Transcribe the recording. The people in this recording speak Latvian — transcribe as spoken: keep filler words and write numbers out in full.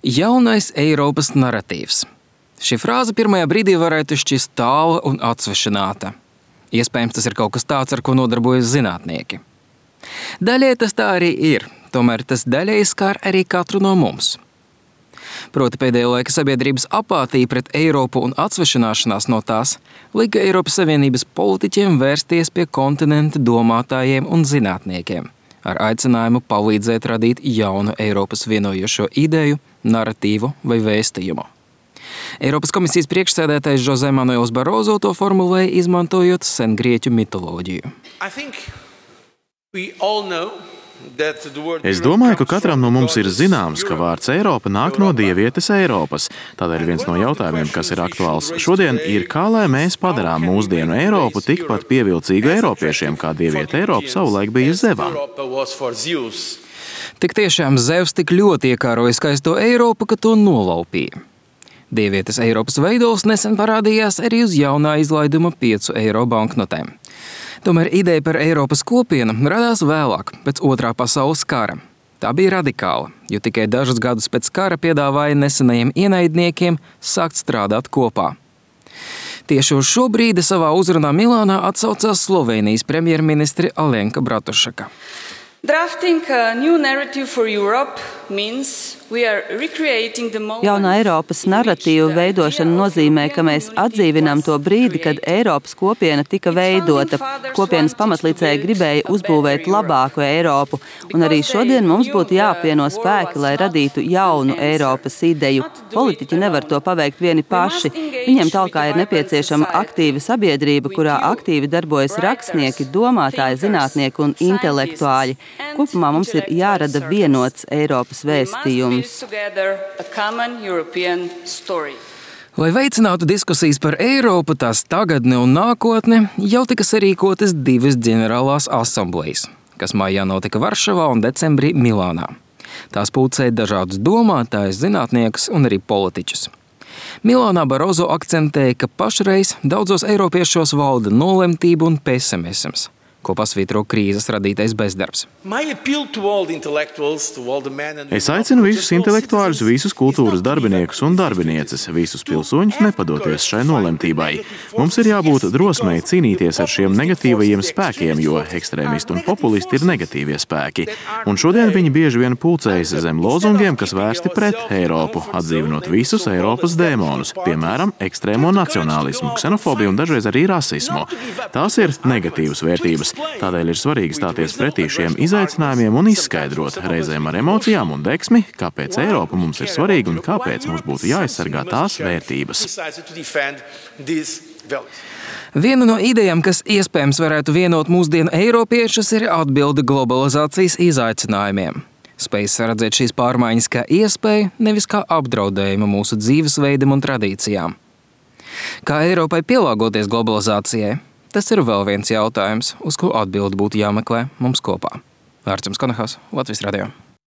Jaunais Eiropas naratīvs. Šī frāze pirmajā brīdī varētu šķist tāla un atsvešināta. Iespējams, tas ir kaut kas tāds, ar ko nodarbojas zinātnieki. Daļai tas tā arī ir, tomēr tas daļai skar arī katru no mums. Proti pēdējo laika sabiedrības apātija pret Eiropu un atsvešināšanās no tās lika Eiropas Savienības politiķiem vērsties pie kontinenta domātājiem un zinātniekiem ar aicinājumu palīdzēt radīt jaunu Eiropas vienojošo ideju, naratīvu vai vēstījumu. Eiropas komisijas priekšsēdētājs José Manuels Barroso to formulēja, izmantojot sengrieķu mitoloģiju. Es domāju, ka katram no mums ir zināms, ka vārds Eiropa nāk no dievietes Eiropas. Tādēļ viens no jautājumiem, kas ir aktuāls šodien, ir, kā lai mēs padarām mūsdienu Eiropu tikpat pievilcīgu eiropiešiem, kā dieviete Eiropa savulaik bija Zevam. Tik tiešām Zevs tik ļoti iekāroja skaisto Eiropu, ka to nolaupīja. Dievietes Eiropas veidols nesen parādījās arī uz jaunā izlaiduma piecu eiro banknotēm. Tomēr ideja par Eiropas kopienu radās vēlāk, pēc otrā pasaules kara. Tā bija radikāla, jo tikai dažus gadus pēc kara piedāvāja nesenajiem ienaidniekiem sākt strādāt kopā. Tieši uz šo brīdi savā uzrunā Milānā atsaucās Slovēnijas premjerministre Alenka Bratušaka. Drafting a new narrative for Europe means we are recreating the moment. Jauna Eiropas narratīvu veidošana nozīmē, ka mēs atdzīvinām to brīdi, kad Eiropas kopiena tika veidota. Kopienas pamatlicēji gribēja uzbūvēt labāku Eiropu, un arī šodien mums būtu jāapvieno spēki, lai radītu jaunu Eiropas ideju. Politiķi nevar to paveikt vieni paši. Viņiem talkā ir nepieciešama aktīva sabiedrība, kurā aktīvi darbojas rakstnieki, domātāji, zinātnieki un intelektuāļi. Kopumā mums ir jārada vienots Eiropas vēstījums. Lai veicinātu diskusijas par Eiropu, tās tagadni un nākotni, jau tika sarīkotas divas ģenerālās asamblejas, kas maijā notika Varšavā un decembrī Milānā. Tās pulcēja dažādus domātājus, zinātniekus un arī politiķus. Milānā Barroso akcentēja, ka pašreiz daudzos eiropiešos valda nolemtība un pesimisms, ko pasvītro krīzes radītais bezdarbs. Es aicinu visus intelektuāļus, visus kultūras darbiniekus un darbinieces, visus pilsoņus nepadoties šai nolemtībai. Mums ir jābūt drosmei cīnīties ar šiem negatīvajiem spēkiem, jo ekstrēmisti un populisti ir negatīvie spēki. Un šodien viņi bieži vien pulcējas zem lozungiem, kas vērsti pret Eiropu, atdzīvinot visus Eiropas dēmonus, piemēram, ekstrēmo nacionālismu, ksenofobiju un dažreiz arī rasismu. Tās ir negatīvas vērtības. Tādēļ ir svarīgi stāties pretī šiem izaicinājumiem un izskaidrot reizēm ar emocijām un deksmi, kāpēc Eiropa mums ir svarīga un kāpēc mums būtu jāaizsargā tās vērtības. Viena no idejām, kas iespējams varētu vienot mūsdienu eiropiešus, ir atbilde globalizācijas izaicinājumiem. Spējas redzēt šīs pārmaiņas kā iespēju, nevis kā apdraudējumu mūsu dzīvesveidam un tradīcijām. Kā Eiropai pielāgoties globalizācijai? Tas ir vēl viens jautājums, uz ko atbildi būtu jāmeklē mums kopā. Vārds jums Konahas, Latvijas radio.